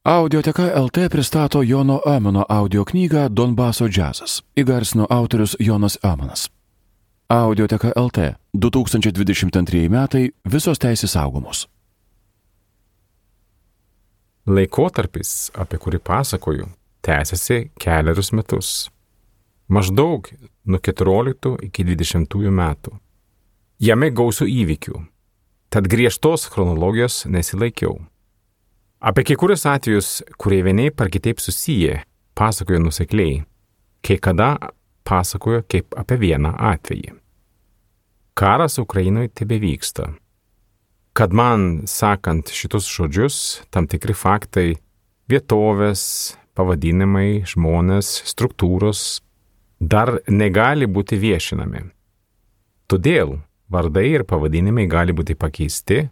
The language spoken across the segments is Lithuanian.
Audioteka LT pristato Jono Omano audio knygą Donbaso džiazas. Įgarsino autorius Jonas Omanas. Audioteka LT 2022 metai, visos teisės saugomos. Laikotarpis, apie kurį pasakoju, tęsiasi kelerius metus. Maždaug nuo 14 iki 20 metų. Jame gausių įvykių, tad griežtos chronologijos nesilaikiau. Apie kai kurios atvejus, kurie vienaip ar kitaip susiję, pasakoju nusekliai, kai kada pasakoju kaip apie vieną atvejį. Karas Ukrainoje tebevyksta. Kad man, sakant šitus žodžius, tam tikri faktai, vietovės, pavadinimai, žmonės, struktūros dar negali būti viešinami. Todėl vardai ir pavadinimai gali būti pakeisti,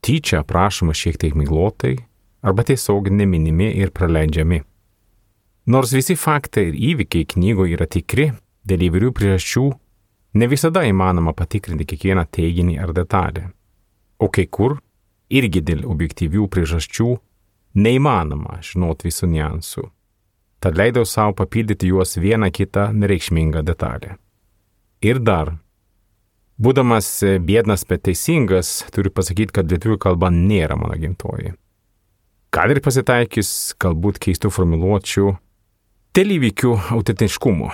tyčia aprašoma šiek tiek miglotai, arba tiesiog neminimi ir praleidžiami. Nors visi faktai ir įvykiai knygoje yra tikri, dėl įvairių priežasčių ne visada įmanoma patikrinti kiekvieną teiginį ar detalę. O kai kur, irgi dėl objektyvių priežasčių, neįmanoma žinoti visų niuansų. Tad leidau savo papildyti juos vieną kitą nereikšmingą detalę. Ir dar, būdamas biednas, bet teisingas, turiu pasakyti, kad lietuvių kalba nėra mano gimtoji. Kad ir pasitaikys galbūt keistų formuluočių dėl įvykių autentiškumo.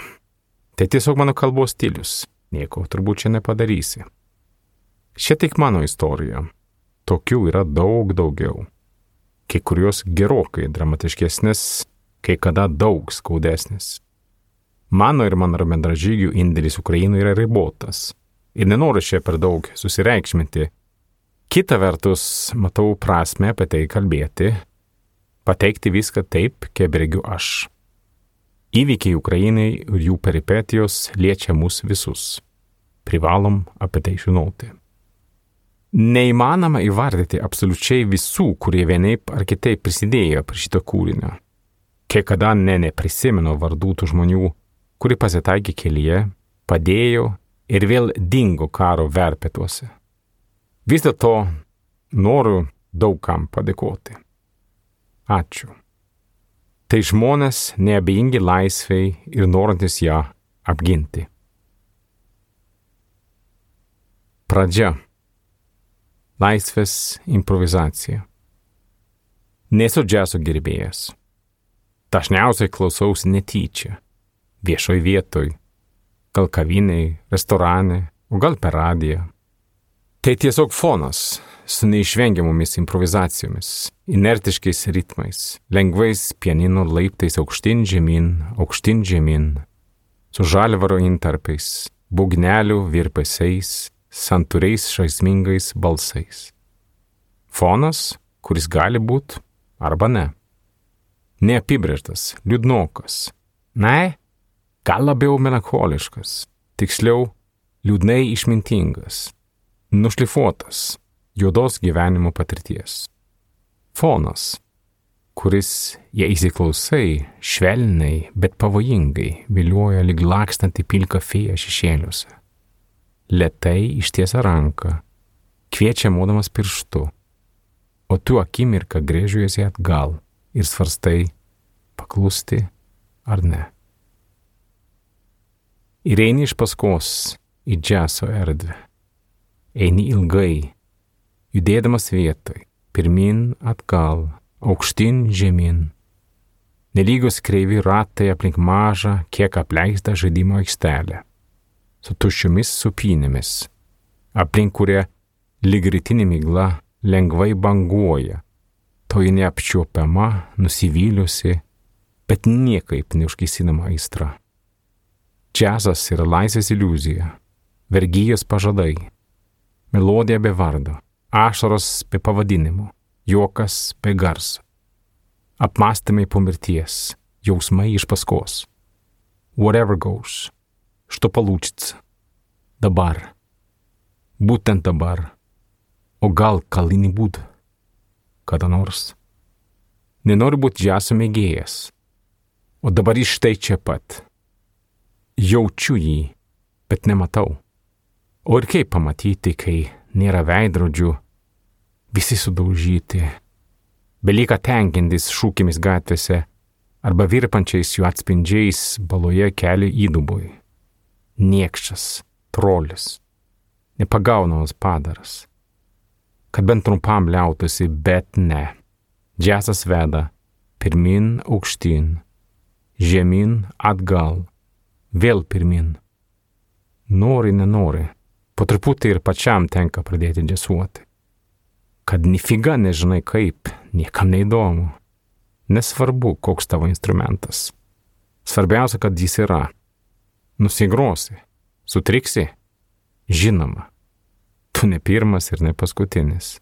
Tai tiesiog mano kalbos stilius. Nieko turbūt čia nepadarysi. Šia tik mano istorija. Tokių yra daug daugiau. Kai kurios gerokai dramatiškesnės, kai kada daug skaudesnės. Mano ir mano bendražygių indėlis Ukrainoje yra ribotas. Ir nenoriu čia per daug susireikšminti. Kita vertus, matau prasmę apie tai kalbėti, pateikti viską taip, kaip regiu aš. Įvykiai Ukrainai ir jų peripetijos liečia mus visus. Privalom apie tai žinoti. Neįmanoma įvardyti absoliučiai visų, kurie vienaip ar kitaip prisidėjo prie šito kūrinio. Kai kada neprisimenu vardų tų žmonių, kuri pasitaikė kelyje, padėjo ir vėl dingo karo verpetuose. Vis dėlto noriu daugam padėkoti. Ačiū. Tai žmonės neabejingi laisvei ir norantis ją apginti. Pradžia. Laisvės improvizacija. Nesu džiazo gerbėjas. Dažniausiai klausausi netyčia. Viešoj vietoj. Gal kavinėj, restorane, o gal per radiją. Tai tiesiog fonas su neišvengiamomis improvizacijomis, inertiškais ritmais, lengvais pianino laiptais aukštyn žemyn, su žalvaro intarpais, būgnelių virpesiais, santūriais žaismingais balsais. Fonas, kuris gali būt arba ne. Neapibrėžtas, liūdnokas. Ne, gal labiau melancholiškas, tiksliau liūdnai išmintingas. Nušlifuotas juodos gyvenimo patirties. Fonas, kuris, jei įsiklausai, švelniai, bet pavojingai vilioja lyg lakstanti pilka fėja šešėliuose. Lėtai ištiesia ranką, kviečia modamas pirštu, o tu akimirką gręžiuosi atgal ir svarstai paklusti ar ne. Ir eini iš paskos į džiazo erdvę. Eini ilgai, judėdamas vietoj, pirmin atgal, aukštyn žemyn. Nelygios kreivi ratai aplink mažą, kiek apleistą žaidimo aikštelę, su tuščiomis supynėmis, aplink kurią lyg rytinė migla lengvai banguoja, toji neapčiuopiama, nusivyliusi, bet niekaip neužgesinama aistra. Džiazas yra laisvės iliuzija, vergijos pažadai. Melodija be vardo, ašaros be pavadinimo, juokas be garso. Apmąstymai po mirties, jausmai iš paskos. Whatever goes, što получится. Dabar. Būtent dabar. O gal kalini būd? Kada nors. Nenoriu būti džiazo mėgėjas. O dabar iš tai čia pat. Jaučiu jį, bet nematau. O ir kaip pamatyti, kai nėra veidrodžių, visi sudaužyti, belieka tenkintis šūkimis gatvėse arba virpančiais jų atspindžiais baloje kelio įdubui. Niekšas, trolis, nepagaunamas padaras. Kad bent trumpam liautųsi, bet ne. Džiazas veda pirmin aukštyn, žemyn atgal, vėl pirmin. Nori, nenori, po truputį ir pačiam tenka pradėti džiazuoti. Kad nifiga nežinai kaip, niekam neįdomu. Nesvarbu, koks tavo instrumentas. Svarbiausia, kad jis yra. Nusigrosi, sutriksi, žinoma, tu ne pirmas ir ne paskutinis.